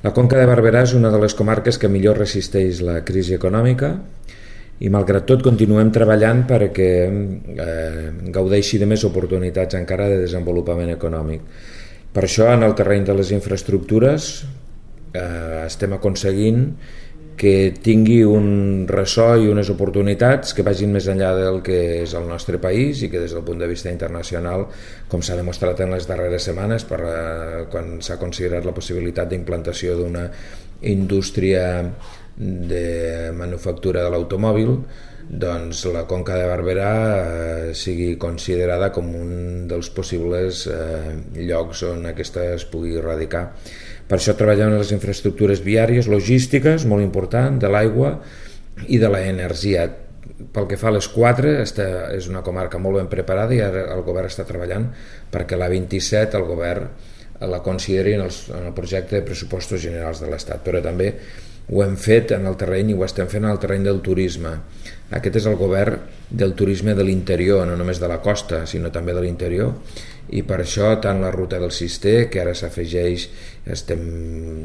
La Conca de Barberà és una de les comarques que millor resisteix la crisi econòmica i malgrat tot continuem treballant perquè gaudeixi de més oportunitats encara de desenvolupament econòmic. Per això en el terreny de les infraestructures estem aconseguint que tingui un ressò i unes oportunitats que vagin més enllà del que és el nostre país i que des del punt de vista internacional, com s'ha demostrat en les darreres setmanes quan s'ha considerat la possibilitat d'implantació d'una indústria de manufactura de l'automòbil, doncs la Conca de Barberà sigui considerada com un dels possibles llocs on aquesta es pugui radicar. Per això treballem en les infraestructures viàries, logístiques, molt important, de l'aigua i de l'energia. Pel que fa a les quatre, és una comarca molt ben preparada i ara el govern està treballant perquè l'A27 el govern la consideri en el projecte de pressupostos generals de l'Estat, però també ho hem fet en el terreny i ho estem fent en el terreny del turisme. Aquest és el govern del turisme de l'interior, no només de la costa, sinó també de l'interior, i per això tant la ruta del Cister, que ara s'afegeix, estem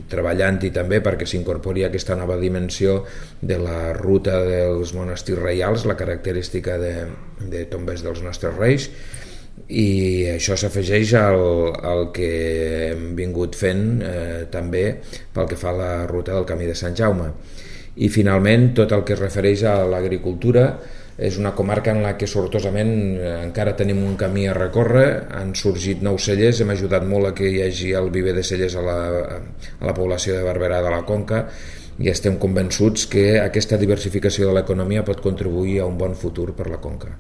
treballant-hi també perquè s'incorpori aquesta nova dimensió de la ruta dels monestirs reials, la característica de tombes dels nostres reis, i això s'afegeix al que hem vingut fent també pel que fa a la ruta del Camí de Sant Jaume. I finalment tot el que es refereix a l'agricultura és una comarca en la que sortosament encara tenim un camí a recórrer, han sorgit nous cellers, hem ajudat molt a que hi hagi el viver de cellers a la població de Barberà de la Conca i estem convençuts que aquesta diversificació de l'economia pot contribuir a un bon futur per la Conca.